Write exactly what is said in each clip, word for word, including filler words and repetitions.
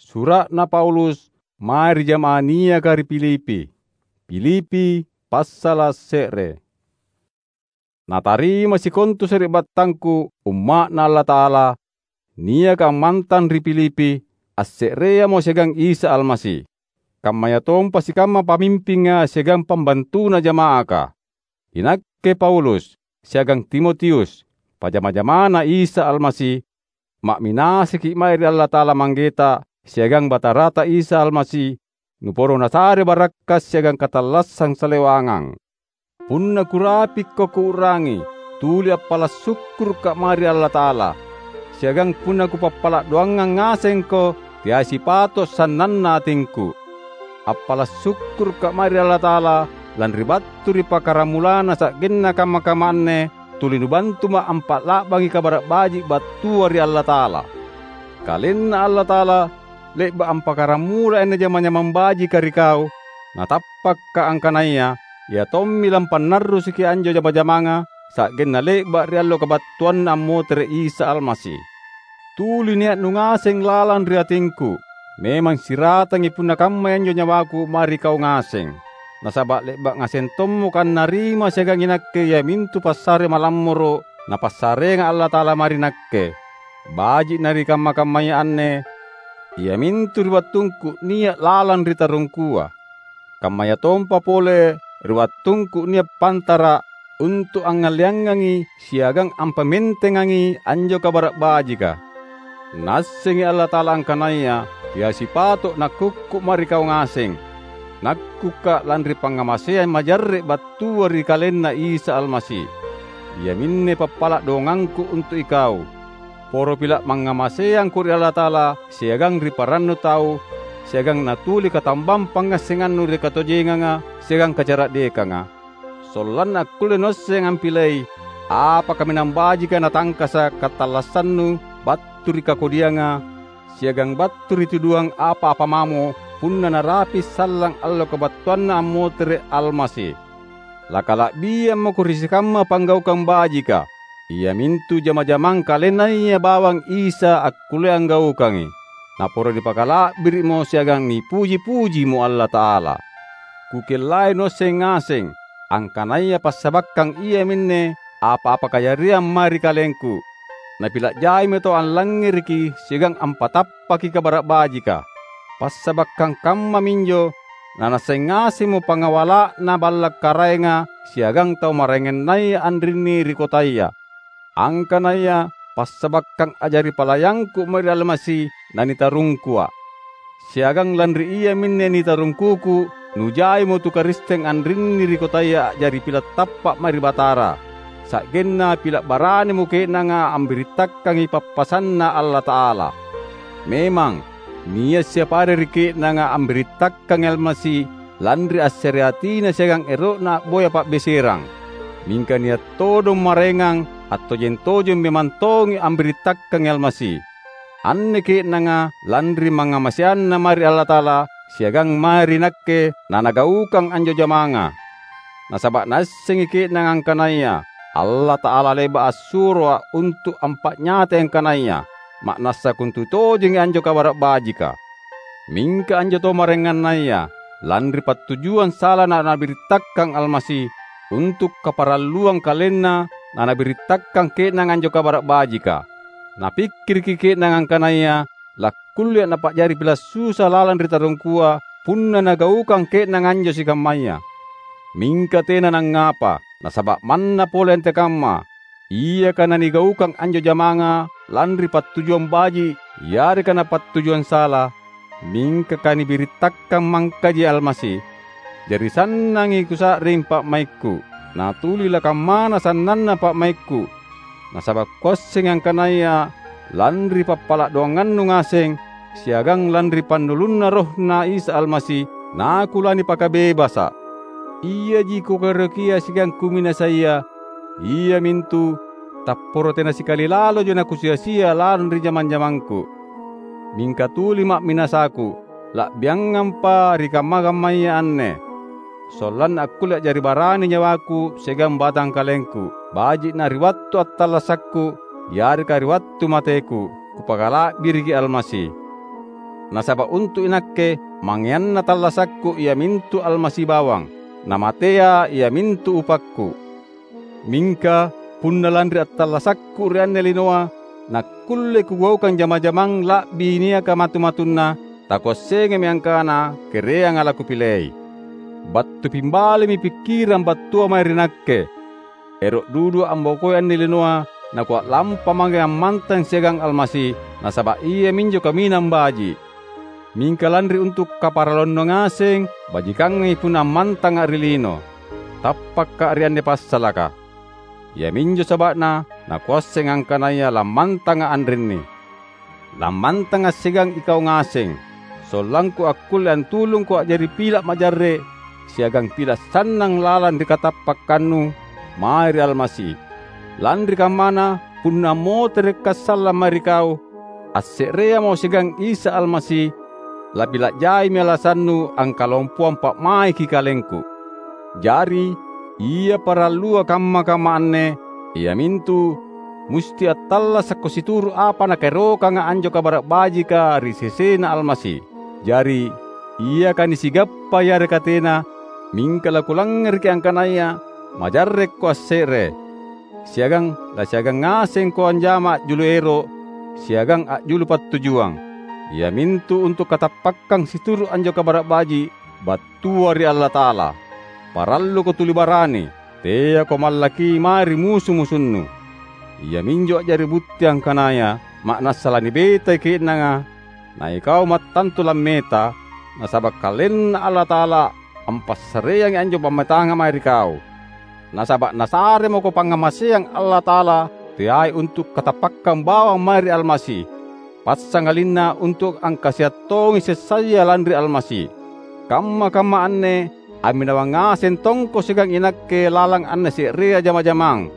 Sura'na Paulus mae ri jama'ah niaka ri Filipi. Filipi passala’ se're. Natarima sikontu sari'battangku umma'Na Allata'ala niaka ammantang ri Filipi, asse'reamo siagang Isa Almasi. Kammayatompa sikamma pamimpinga siagang pambantuna jama'aka. Inakke Paulus siagang Timotius, pajama-jamana Isa Almasi, ma'minasiki’ mae ri Allata'ala Manggeta siagang Batarata Isa Almasi, nuporo nasare barakka’ siagang katallassang salewangang. Punna kurapikko kuu'rangi, tuli appala’ sukkuruka’ mae ri Allata'ala, siagang punna kupappala’ doangang ngasengko, teai sipato’ sannanna atingku. Appala’ sukkuruka’ mae ri Allata'ala, lanri battu ri pakkaramulanna sa'genna kamma-kamma anne, tuli nubantuma’ ampa'la'bangi Kabara’ Baji’ battua ri Allata'ala. KalenNa Allata'ala le'ba’ ampakkaramulai anne jama-jamang bajika ri kau, Natappakka’ angkanaya Ia tommi lampannarrusuki anjo jama-jamanga, sa'genna le'ba’ ri allo kabattuanNa ammotere’ Isa Almasi. Tuli nia’ nungaseng lalang ri atingku. Memang siratangi punna kammai anjo nyawaku mae ri kau ngaseng. Nasaba’ le'ba’ ngaseng tommoka annarima siagang inakke iamintu passare malammoro’ Napassareanga Allata'ala mae ri nakke. Baji'na ri kamma-kammaya anne, iamintu ri wattungku nia’ lalang ri tarungkua. Kammayatompa pole ri wattungku nia’ pantara’ untu’ angngalleangangi siagang ampamentengangi anjo Kabara’ Bajika. Naassengi Allata'ala angkanaya teai sipato’ nakkukku mae ri kau ngaseng. Nakkukka’ lanri pangngamaseang majarre’ battua ri KalenNa Isa Almasi. Iaminne pappala’ dongangku untu’ ikau. Poro pila’ mangngamaseangko ri Allata'ala siagang ri parannu tau, siagang natuli katambang pangngassengannu ri katojenganga siagang kacara'dekanga, sollanna akkulle nuasseng ampilei apa kaminang bajika natangkasa’ katallassannu battu ri kakodianga, siagang battu ri tuduang apa-apa mamo punna narapi’ sallang allo kabattuanNa ammotere’ Almasi. Lakala'biammako ri sikamma panggaukang bajika, iamintu jama-jamang KalenNaya bawang Isa akkullea anggaukangi. Naporo nipakala'biri'mo siagang nipuji-pujimo Allata'ala. Kukellai nuasseng ngaseng angkanaya passabakkang iaminne apa-apa kajariang mae ri kalengku. Napila’ jaimi tau allangngereki siagang ampatappaki Kabara’ Bajika. Passabakkang kammaminjo nanaasseng ngasemmo pangawala'na balla’ karaenga siagang tau maraengannaya anrinni ri kotaya, angkanaya passabakkang a'jari palayangku mae ri Almasi nanitarungkua’. Siagang lanri iaminne nitarungkuku, nujaimo tu Karisteng anrinni ri kotaya a'jari pila’ tappa’ mae ri Batara, sa'genna pila’ baranimo ke'nanga ambirittakangi pappasanNa Allata'ala. Memang, nia’ siapa are ri ke'nanga ambirittakangi Almasi lanri assereatina siagang ero'na a'boya pa'beserang. Mingka nia’ todong maraengang attojeng-tojeng memang tongi ambirittakangi Almasi. Anne ke'nanga lanri mangngamaseanna mae ri Allata'ala siagang mae ri nakke nanagaukang anjo jamanga. Nasaba’ naassengi ke'nanga angkanaya Allata'ala le'ba’ assuroa’ untu’ ampa'nyatai angkanaya ma'nassa kontu tojengi anjo Kabara’ Bajika. Mingka anjo tau maraengannaya, lanri pattujuang sala nanabirittakkang Almasi untu’ kaparalluang kalenna nanabirittakkang ke'nanga anjo Kabara’ Bajika. Napikkiriki ke'nanga angkanaya lakkulleA’ napa'jari pila’ susa lalang ri tarungkua punna nagaukang ke'nanga anjo sikammaya. Mingka tena nangngapa, nasaba’ manna pole antekamma, iaka nanigaukang anjo jamanga lanri pattujuang baji’ yareka napattujuang sala, mingka kanibirittakkang mangkaji Almasi. Jari sannangi kusa'ring pa'maikku, natuli lakammana sannanna pa'maikku. Nasaba’ kuassengi angkanaya lanri pappala’ doangannu ngaseng, siagang lanri pannulunNa RohNa Isa Almasi, nakulanipakabebasa’. Iaji kukaerokia siagang kuminasaia, iamintu tapporo tena sikali laloja nakusia-sia lalang ri jama-jamangku. Mingka tuli ma'minasaku, la'biangampa ri kamma-kammaya anne. Sollanna akkulle a'jari barani nyawaku siagang batangkalengku, baji'na ri wattu attallassakku yareka ri wattu mateku, kupakala'biriki Almasi. Nasaba' untu' inakke, mangeanna tallasakku iamintu Almasi bawang, namatea iamintu upakku. Mingka punna lanri attallasakku ri anne linoa, nakkulle kugaukang jama-jamang la'bi niaka matu-matunna, takuassengammi angkana kereanga lakupilei. Battu pimbalimi pikkirang battua mae ri nakke. Ero' dudu ambokoi anne linoa, nakua'lampa mange ammantang siagang Almasi, nasaba' iaminjo kaminang baji'. Mingka lanri untu' kaparalluannu ngaseng, bajikangangi punna ammantanga' ri lino. Tappakka' ri anne passalaka. Iaminjo saba'na nakuasseng angkanaya lammantanga' anrinni. Lammantanga' siagang ikau ngaseng, sollangku akkulle antulungko a'jari pila' majarre' siagang pila' sannang lalang ri katappakkannu mae ri Almasi. Lanri kammana, punna ammoterekka' sallang mae ri kau, asse'reamo siagang Isa Almasi, lapila' jaimi alasannu angkalompoang pa'maiki kalengku. Jari, ia parallua kamma-kamma anne, iamintu musti attallasakko situru' apa nakaerokanga anjo Kabara' Bajika ri sesena Almasi. Jari, iaka nisigappa yareka tena, mingka lakulangngereki angkanaya majarrekko asse're, siagang lasiagang ngasengko anjama a'julu ero', siagang a'julu pattujuang, iamintu untu' katappakkang situru' anjo Kabara' Baji' battua ri Allata'ala. Paralluko tuli barani, teako mallaki mae ri musu-musunnu. Iaminjo a'jari butti angkanaya ma'nassa lanibetai ke'nanga, na ikau mattantu lammeta, nasaba' KalenNa Allata'ala ampassareangi anjo pammetanga mae ri kau. Nasaba' Nasaremako pangngamaseang Allata'ala teai untu' katappakkang bawang mae ri Almasi, passangalinna untu' angkasiang tongi sessaya lanri Almasi. Kamma-kamma anne amminawang ngaseng tongko siagang inakke lalang anne se'rea jama-jamang,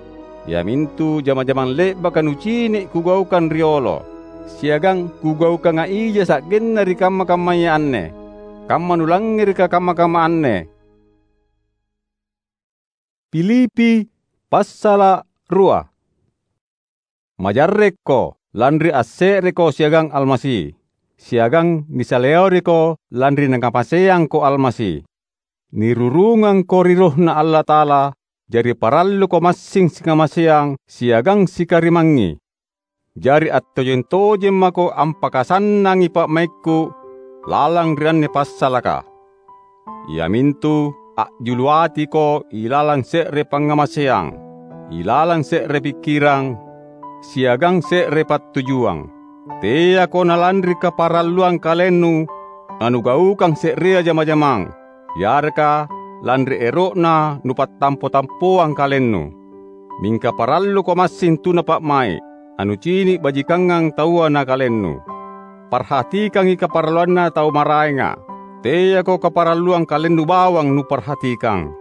iamintu jama-jamang le'baka nucini' kugaukang riolo, siagang kugaukanga ija sa'genna ri kamma-kammaya anne. Kamma nulangngereka kamma-kamma anne. Filipi passala' rua. Majarrekko, lanri asse'reko siagang Almasi, siagang nisaleoriko lanri Nakamaseangko Almasi. Nirurungangko ri RohNa Allata'ala, jari paralluko massing sikamaseang siagang sikarimangngi. Jari attojeng-tojeng mako ampakasannangi pa'maikku lalang ri anne passalaka, iamintu a'julu atiko ilalang se're pangngamaseang, ilalang se're pikkirang, siagang se're pattujuang. Teako nalanri kaparalluang kalennu nanugaukang se'rea jama-jamang, yareka lanri ero'na nupattampo-tampoang kalennu. Mingka paralluko massing tuna pa'mai', nanucini' bajikangang taua na kalennu. Parhatikangi kaparalluanna tau maraenga. Teako kaparalluang kalennu bawang nuparhatikang.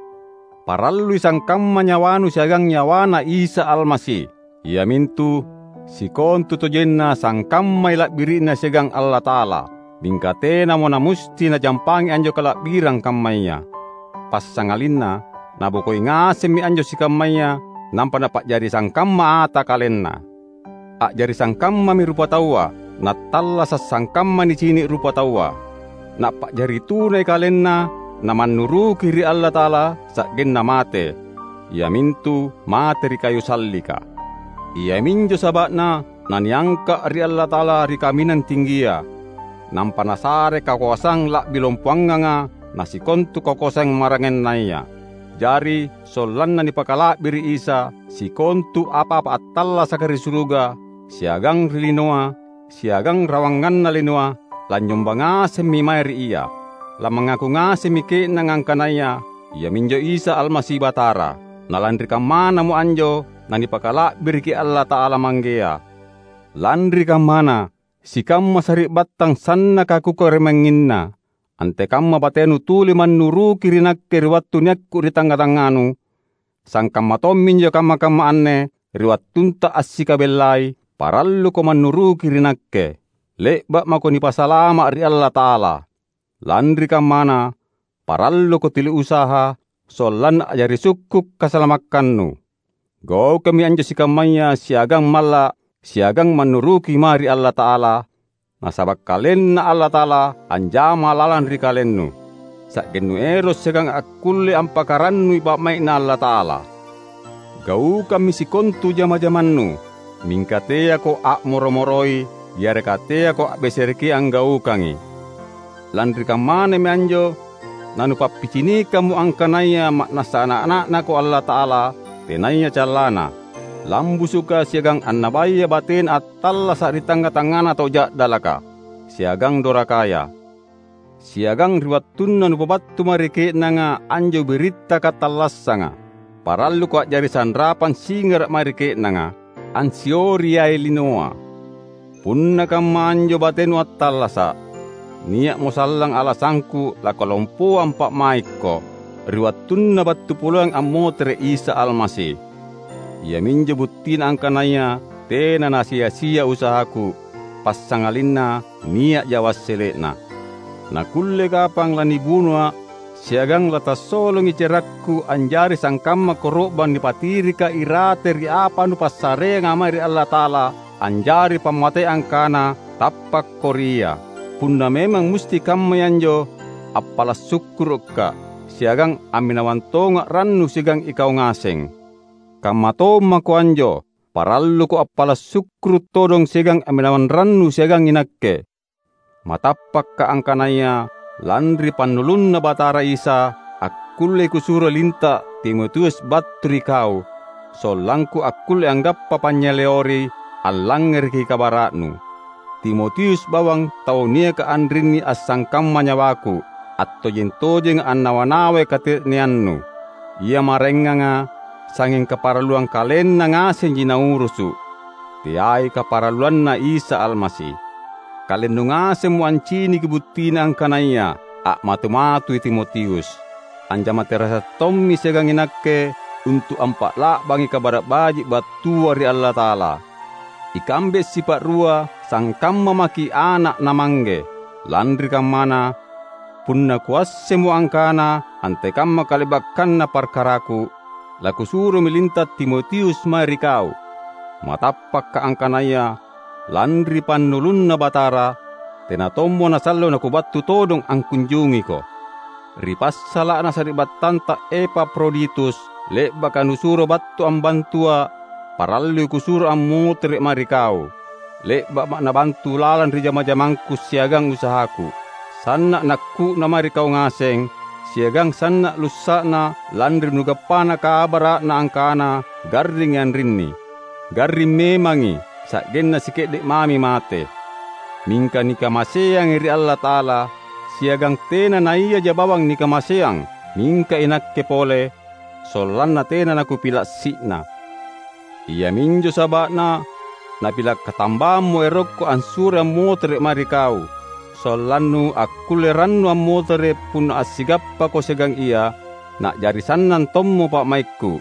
Parallui sangkamma nyawanu siagang nyawaNa Isa Almasi. Iamintu sikontutojenna sangkammai la'biri'na siagang Allata'ala, mingka tenamo namusti najampangi anjo kala'birang kammaya. Passangalinna nabokoi ngasemmi anjo sikammaya, nampa napa'jari sangkamma ata kalenna. A'jari sangkammami rupataua, nattallasa' sangkamma nicini' rupataua. Napa'jari tunai kalenna, namannuruki ri Allata'ala sa'genna mate, iamintu mate ri kayu sallika. Iaminjo saba'na naniangka' ri Allata'ala ri kaminang tinggia, nampa Nasare kakoasang la'bi lompoanganga na sikontu kakoasang maraengannaya. Jari, sollanna nipakala'biri' Isa, sikontu apa-apa attallasaka ri suruga siagang ri linoa, siagang rawanganna linoa, lanynyomba ngasemmi mae ri Ia. Lamangaku ngasemmi ke'nanga angkanaya Iaminjo Isa Almasi Batara. Na lanri kammanamo anjo nanipakala'biriki Allata'ala Manggea. Lanri kammana, sikamma sari'battang sannaka kukarimangnginna, antekamma batenu tuli mannuruki ri nakke ri wattu niakku ri tangnga-tangnganu, sangkamma tomminjo kamma-kamma anne ri wattunta assikabellai, paralluko mannuruki ri nakke. Le'ba' mako nipasalama' ri Allata'ala. Lanri kammana, paralluko tuli usaha sollanna a'jari sukku' kasalamakkannu. Gaukammi anjo sikammaya siagang malla' siagang mannuruki mae ri Allata'ala, nasaba' KalenNa Allata'ala anjama lalang ri kalennu, sa'gennu ero' siagang akkulle ampakarannui pa'mai'Na Allata'ala. Gaukammi sikontu jama-jamannu, mingka teako a'moro-moroi yareka teako a'besereki anggaukangi. Lanri kammanami anjo nanupappicinikammo angkanaya ma'nassa ana'-ana'Nako Allata'ala, tenaya callana, lambusuka siagang annabaya batena attallasa' ri tangnga-tangngana tau ja'dalaka siagang dorakaya. Siagang ri wattunna nupabattu mae ri ke'nanga anjo biritta katallassanga, paralluko a'jari sanrapang singara' mae ri ke'nanga, ansiori yae linoa. Punna kamma anjo batenu attallasa', nia'mo sallang alasangku lakalompoang pa'maikko, ri wattunna battu poleang ammotere' Isa Almasi. Iaminjo buttina angkanaya tena nasia-sia usahaku, passangalinna nia'ja wassele'na. Nakulle kapang lanibunua', siagang latassolongi cerakku anjari sangkamma koro'bang nipatirika irate ri apa nupassareanga mae ri Allata'ala, anjari pammateang kana tappakko ri Ia. Punna memang musti kammai anjo, appala' sukkuru'ka', siagang amminawang tonga' rannu siagang ikau ngaseng. Kamma tommako anjo, paralluko appala' sukkuru' todong siagang amminawang rannu siagang inakke. Matappakka' angkanaya lanri pannulunNa Batara Isa, akkullei kusuro linta' Timotius battu ri kau, sollangku akkulle anggappa panynyaleori allangngereki kabara'nu. Timotius bawang tau niaka anrinni assangkamma nyawaku, attojeng-tojenga annawa-nawai kate'neannu. Ia maraenganga sangnging kaparalluang kalenna ngasenji naurusu', teai kaparalluanNa Isa Almasi. Kalennu ngasemmo anciniki buttina angkanaya a'matu-matui Timotius. Anjama terasa tommi siagang inakke untu' ampa'la'bangi Kabara' Baji' battua ri Allata'ala. Ikambe sipa'rua sangkamma maki' ana' na mangge. Lanri kammana, punna kuassemmo angkana antekamma kale'bakkanna parkaraku, lakusuromi linta' Timotius mae ri kau. Matappakka' angkanaya lanri pannulunNa Batara, tena tommo nasallo nakubattu todong angkunjungiko. Ri passala'na sari'battanta Epafroditus, le'baka nusuro battu ambantua', parallui kusuro ammotere' mae ri kau. Le'ba'ma' nabantu lalang ri jama-jamangku siagang usahaku. Sanna' nakku'na mae ri kau ngaseng, siagang sanna' lussa'na lanri nugappana kabara'na angkana garringi anrinni. Garring memangi, sa'genna sike'de' mami mate. Mingka nikamaseangi ri Allata'ala, siagang tena naiaja bawang nikamaseang, mingka inakke pole, sollanna tena nakupila' si'na. Iaminjo saba'na napila' katambammo erokku ansuroi ammotere' mae ri kau, sollannu akkulle rannu ammotere' punna assigappako siagang ia, na'jari sannang tommo pa'maikku.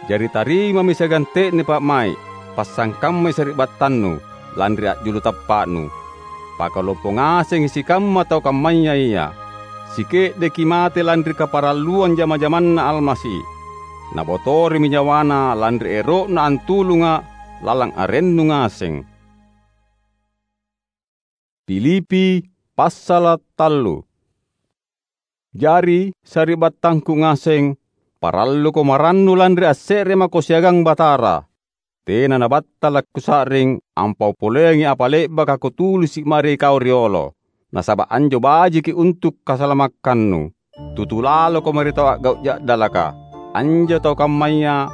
Jari tarimami siagang te'ne pa'mai', passangkammai sari'battannu, lanri a'julu tappa'nu. Pakalompo ngasengi sikamma tau kammaya ia. Sike'deki mate lanri kaparalluang jama-jamanNa Almasi. Nabotorimi nyawana lanri ero'na antulunga' lalang arennu ngaseng. Filipi passala' tallu. Jari, sari'battangku ngaseng, paralluko marannu lanri asse're mako siagang Batara. Tena nabattala' kusa'ring ampaupoleangi apa le'baka kutulisi' mae ri kau riolo, nasaba' anjo bajiki untu' kasalamakkannu. Tutu laloko mae ri tau a'gau' ja'dalaka. Anjo tau kammaya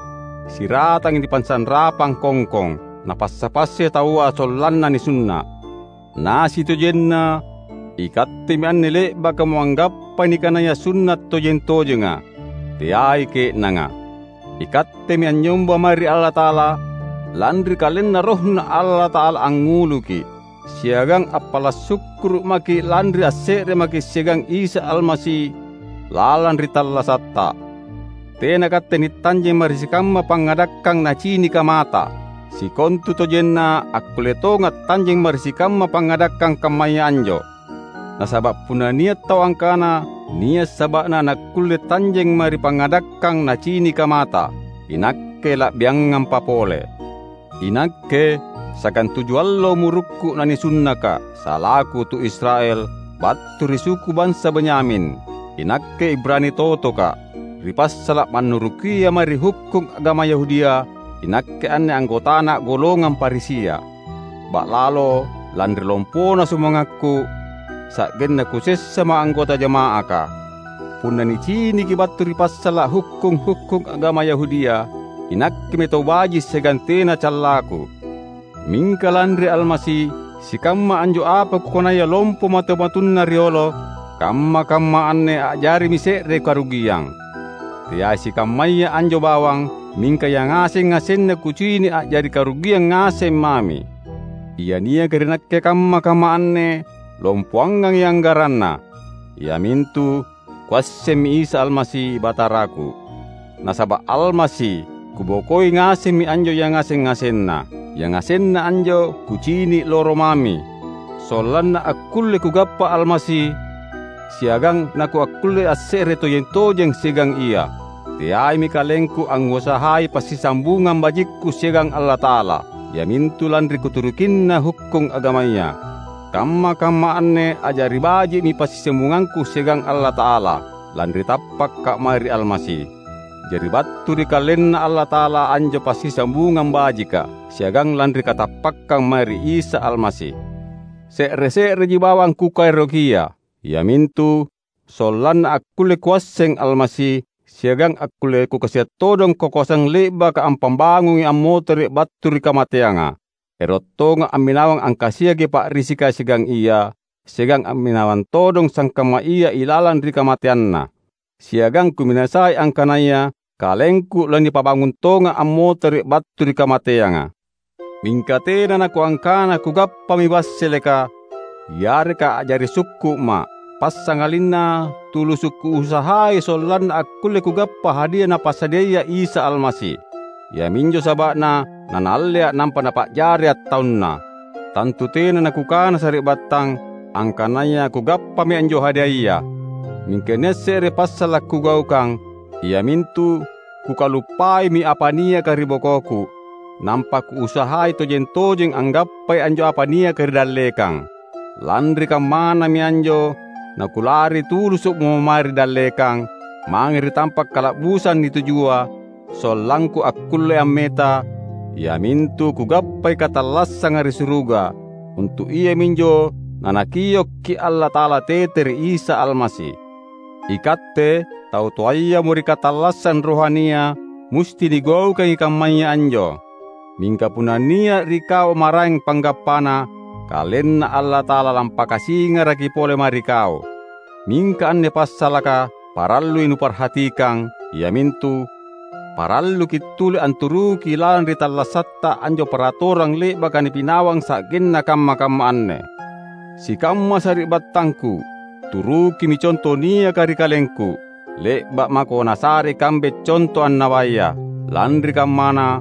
siratangi nipansanrapang kongkong, napassa-passai taua sollanna nisunna'. Nasitojenna, ikattemi anne le'bakamo anggappai nikanaya sunna' tojeng-tojenga, teai ke'nanga. Ikattemi anynyomba mae ri Allata'ala, lanri KalenNa RohNa Allata'ala angnguluki', siagang appala' sukkuru' maki' lanri asse're maki' siagang Isa Almasi lalang ri tallasatta. Tena katte nittanjeng mae ri sikamma pangngadakkang nacinika mata. Sikontutojenna akkulle tonga' tanjeng mae ri sikamma pangngadakkang kammaya anjo. Nasaba' punna nia' tau angkana nia' saba'na nakkulle tanjeng mae ri pangngadakkang nacinika mata, inakke la'biangampa pole. Inakke siagang tuju allo umurukku nanisunnaka' salaku tu Israel battu ri suku bansa Benyamin. Inakke Ibrani totoka'. Ri passala' mannurukia mae ri hukkung agama Yahudia, inakke anne anggotana golongang Farisia. Ba'lalo lanri lompona sumangakku, sa'genna kusessama' anggota jama'aka. Punna niciniki battu ri passala' hukkung-hukkung agama Yahudia, inakkemi tau baji' siagang tena callaku. Mingka lanri Almasi, sikamma anjo apa kukanaya lompo matu-matunna riolo, kamma-kamma anne a'jarimi se're karugiang. Teai sikammaya anjo bawang, mingka yangaseng-ngasenna kucini' a'jari karugiang ngaseng mami. Ia niaka ri nakke kamma-kamma anne lompoangangi anggaranna, iamintu Kuassemmi Isa Almasi Bataraku. Nasaba' Almasi, kubokoi ngasemmi anjo yangaseng-ngasenna. Yangasenna anjo kucini' loro mami, sollanna akkulle kugappa Almasi, siagang nakuakkulle asse're tojeng-tojeng siagang Ia. Teaimi kalengku angnguasahai passisambungang bajikku siagang Allata'ala, iamintu lanri kuturukinna hukkung agamaya. Kamma-kamma anne a'jari baji'mi passisambungangku siagang Allata'ala, lanri tappakka' mae ri Almasi. Jari battu ri KalenNa Allata'ala anjo passisambungang bajika, siagang lanri katappakkang mae ri Isa Almasi. Se're-se'reji bawang kukaerokia, iamintu sollanna akkulle kuasseng Almasi, siagang akkulle kukasia' todong kakoasang le'baka ampambangungi ammotere' battu ri kamateanga. Ero' tonga' amminawang angkasiaki pa'risika siagang Ia, siagang amminawang todong sangkamma Ia ilalang ri kamateanNa. Siagang kuminasai angkanaya kalengku lanipabangung tonga' ammotere' battu ri kamateanga. Mingka tena nakuangkana kugappami wasseleka, yareka a'jari sukku'ma', passangalinna tulusu' kuusahai sollanna akkulle kugappa hadia Napassadiaya Isa Almasi. Iaminjo saba'na naNaallea' nampa Napa'jari attaunNa. Tantu tena nakukana sari'battang angkanaya kugappami anjo hadiaya. Mingka nia' se're passala' kugaukang, iamintu kukaluppaimi apa niaka ri bokoku, nampa kuusahai tojeng-tojeng anggappai anjo apa niaka ri dallekang. Lanri kammanami anjo nakulari tulusu'mo mae ri dallekang, mange ri tampa' kala'busang nitujua, sollangku akkulle ammeta, iamintu kugappai katallassanga ri suruga, untu' iaminjo naNakiokki' Allata'ala tete ri Isa Almasi. Ikatte, tau toayamo ri katallassang rohania, musti nigaukangi kammaya anjo. Mingka punna nia' ri kau maraeng panggappana, KalenNa Allata'ala lampakasingaraki pole mae ri kau. Mingka anne passalaka parallui nuparhatikang, iamintu: Paralluki' tuli anturuki lalang ri tallassatta anjo paratorang le'baka nipinawang sa'genna kamma-kamma anne. Sikamma sari'battangku, turukimi conto niaka ri kalengku. Le'ba' mako nasare ikambe conto annabaya. Lanri kammana,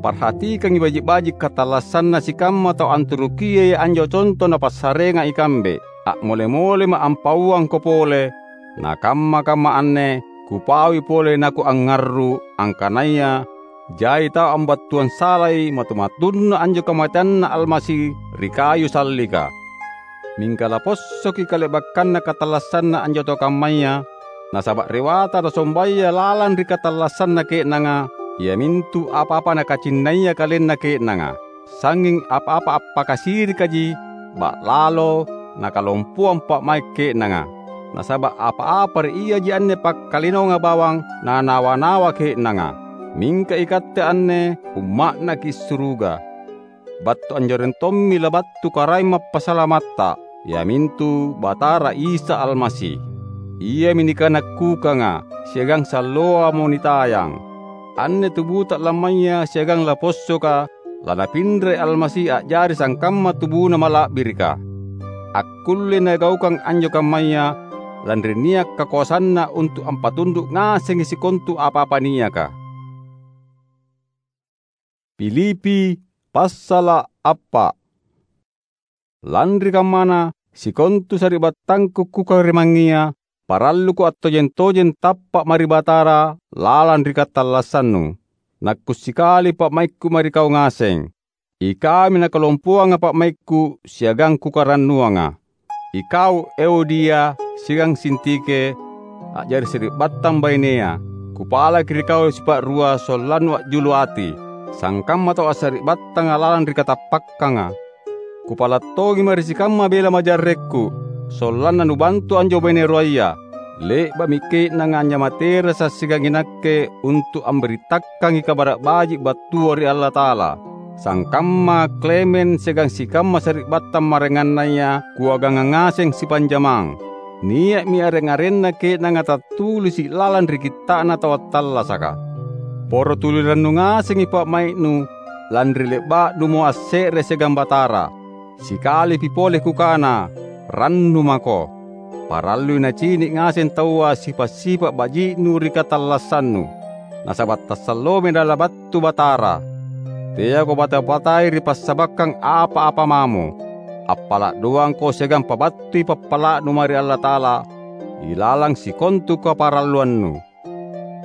parhatikangi baji'-baji' katallassanna sikamma tau anturukiai anjo conto napassareanga ikambe. A'mole-molema' ampauangko pole, na kamma-kamma anne kupaui pole nakuangngarru', angkanaya jai tau ambattuang salai matu-matunna anjo kamateanNa Almasi ri kayu sallika. Mingka lapossoki kale'bakkanna katallassanna anjo tau kammaya, nasaba' rewata nasombaya lalang ri katallassanna ke'nanga, iamintu apa-apa nakacinnaya kalenna ke'nanga. Sangnging apa-apa appakasirikaji ba'lalo nakalompoang pa'mai' ke'nanga. Nasaba' apa-apa ri iaji anne pakkalinoanga bawang nanawa-nawa ke'nanga. Mingka ikatte anne umma'naki' suruga. Battu anjoreng tommi labattu Karaeng Mappasalamatta, iamintu Batara Isa Almasi. Iami nikanakkukanga siagang salloamo nitayang. Anne tubuta lammaya siagang lapossoka lanapinrai Almasi a'jari sangkamma tubuna mala'birika. Akkullei nagaukang anjo kammaya, lanri nia' kakoasanna untu' ampatundu' ngasengi sikontu apa-apa niaka. Filipi passala' appa'. Lanri kammana, sikontu sari'battangku kukarimangngia, paralluko attojeng-tojeng tappa' mae ri Batara lalang ri katallassannu. Nakkusikali pa'maikku mae ri kau ngaseng. Ikaumi nakalompoanga pa'maikku siagang kukarannuanga. Ikau Euodia siagang Sintike, a'jari sari'battang bainea, kupalaki ri kau sipa'rua sollannu a'julu ati, sangkamma tau assari'battanga lalang ri katappakkanga. Kupala' tongi mae ri sikamma bela majarrekku, sollanna nubantu anjo baine ruaya. Le'ba'mi ke'nanga anynyamaterasa' siagang inakke untu' ambirittakangi Kabara' Baji' battua ri Allata'ala, sangkamma Klemens siagang sikamma sari'battang maraengannaya kuagangang ngaseng sipanjamang. Nia'mi areng-arenna ke'nanga tattulisi' lalang ri Kitta'na Tau Attallasaka. Poro tuli rannu ngasengi pa'mai'nu, lanri le'ba'numo asse're siagang Batara. Sikalipi pole kukana, "Rannu mako!" Parallui nacini' ngaseng taua sipa'-sipa' baji'nu ri katallassannu, nasaba' tassalloami nalabattu Batara. Teako bata-batai ri passabakkang apa-apa mamo. Appala' doangko siagang pabattui pappala'nu mae ri Allata'ala ilalang sikontu kaparalluannu.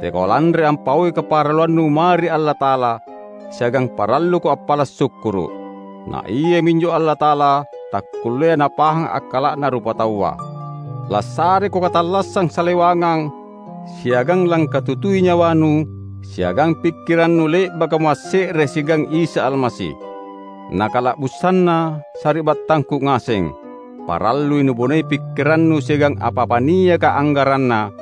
Teako lanri ampaui kaparalluannu mae ri Allata'ala, siagang paralluko appala' sukkuru'. Na Iaminjo Allata'ala takkulleai Napahang akkala'na rupataua. Lassareko katallassang salewangang, siagang langkatutui nyawanu siagang pikkirannu le'bakamo asse're siagang Isa Almasi. Nakala'busanna, sari'battangku ngaseng, parallui nubonei pikkirannu siagang apa-apa niaka anggaranna,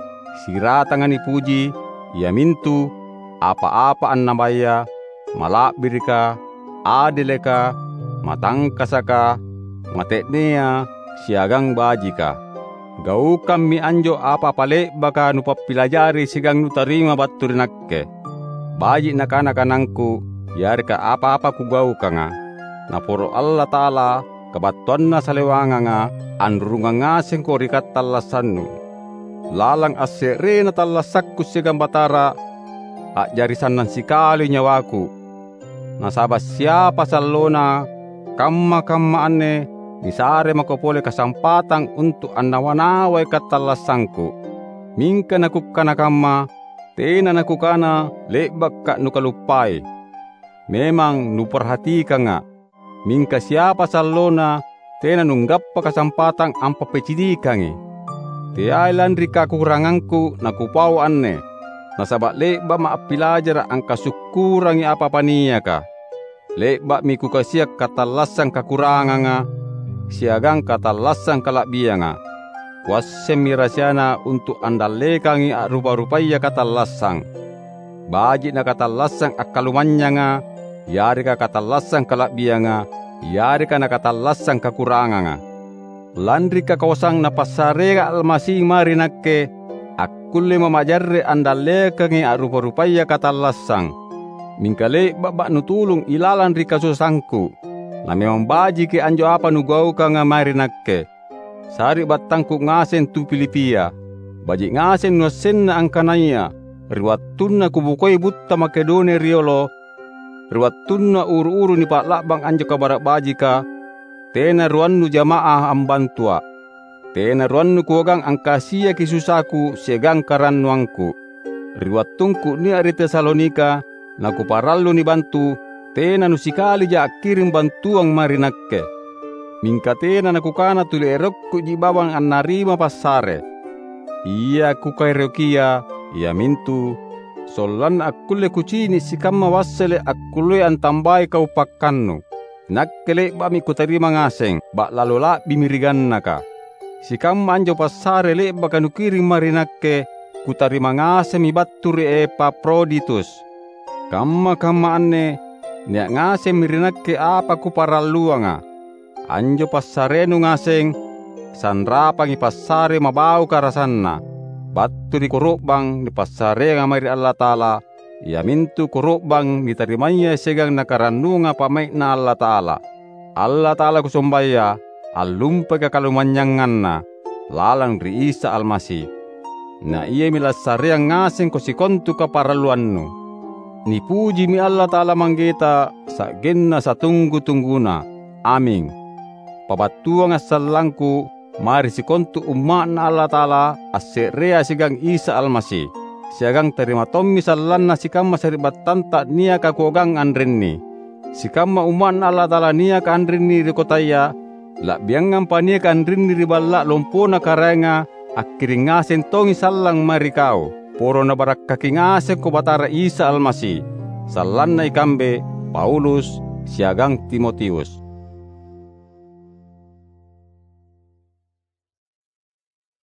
siratanga nipuji, iamintu apa-apa annabaya, mala'birika, adeleka, matangkasaka, mate'nea, siagang bajika. Gaukammi anjo apa-apa le'baka nupappilajari siagang nutarima battu ri nakke. Baji' nakana kanangku yareka apa-apa kugaukanga. Naporo Allata'ala, kabattuanna salewanganga, anrurungang ngasengko ri katallassannu. Lalang asse'rena tallassakku siagang Batara, a'jari sannang sikali nyawaku. Nasaba' siapa sallona, kamma-kamma anne nisare mako pole kasampatang untu' annawa-nawai katallassangku. Mingka nakukkana kamma, tena nakukana le'bakka' nukaluppai. Memang nuparhatikanga', mingka siapa sallona tena nunggappa kasampatang ampappicinikangi. Teai lanri kakurangangku nakupau anne, nasaba' le'ba'ma' appilajara' angkasukkurangi apa-apa niaka. Le'ba'mi kukasia' katallassang kakuranganga siagang katallassang kala'bianga. Kuassemmi rasiana untu' andallekangi a'rupa-rupaya katallassang. Baji' nakatallassang akkalumanynyanga, yareka katallassang kala'bianga, yareka nakatallassang kakuranganga. Lanri kakoasang Napassareanga Almasi mae ri nakke, akkullema' majarre' andallekangi a'rupa-rupaya katallassang. Mingka le'ba'ma' nutulung ilalang ri kasusangku. Na memang bajiki anjo apa nugaukanga mae ri nakke. Sari'battangku ngaseng tu Filipia, baji' ngaseng nuassenna angkanaya ri wattunna kubokoi butta Makedonia riolo, ri wattunna uru-uru nipa'la'bang anjo Kabara' Bajika, tena ruannu jama'ah ambantua'. Tena ruannu kuagang angkasiaki susaku siagang karannuangku. Ri wattungku nia' ri Tesalonika, nakuparallu nibantu, tena nusikalija akkiring bantuang mae ri nakke. Mingka tena nakukana tuli erokkuji bawang annarima passare. Ia kukaerokia, iamintu sollanna akkulle kucini' sikamma wassele' akkullea antambai kau pakkannu. Nakke le'ba'mi kutarima ngaseng, ba'lalo la'bimi ri gannaka. Sikamma anjo passare le'baka nukiring mae ri nakke, kutarima ngasemmi battu ri Epafroditus. Kamma-kamma anne nia' ngasemmi ri nakke apa kuparalluanga. Anjo passarenu ngaseng, sanrapangi passare mabauka rasanna, battu ri koro'bang nipassareanga mae ri Allata'ala, iamintu koro'bang nitarimaya siagang nakarannuanga pa'mai'Na Allata'ala. Allata'ala kusombaya, allumpaka kalumanynyanganna lalang ri Isa Almasi. Na Iami lassareang ngasengko sikontu kaparalluannu. Nipujimi Allata'ala Manggeta sa'genna satunggu-tungguna. Aming. Pabattuanga' sallangku mae ri sikontu umma'Na Allata'ala asse'rea siagang Isa Almasi, siagang tarima tommi sallanna sikamma sari'battanta niaka kuagang anrinni. sikamma umma'Na Allata'ala niaka anrinni ri kotaya, la'biangampa niaka anrinni ri Balla’ Lompona Karaenga, akkiring ngaseng tongi sallang mae ri kau. Poro Nabarakkaki ngasengko Batara Isa Almasi, sallanna ikambe Paulus siagang Timotius.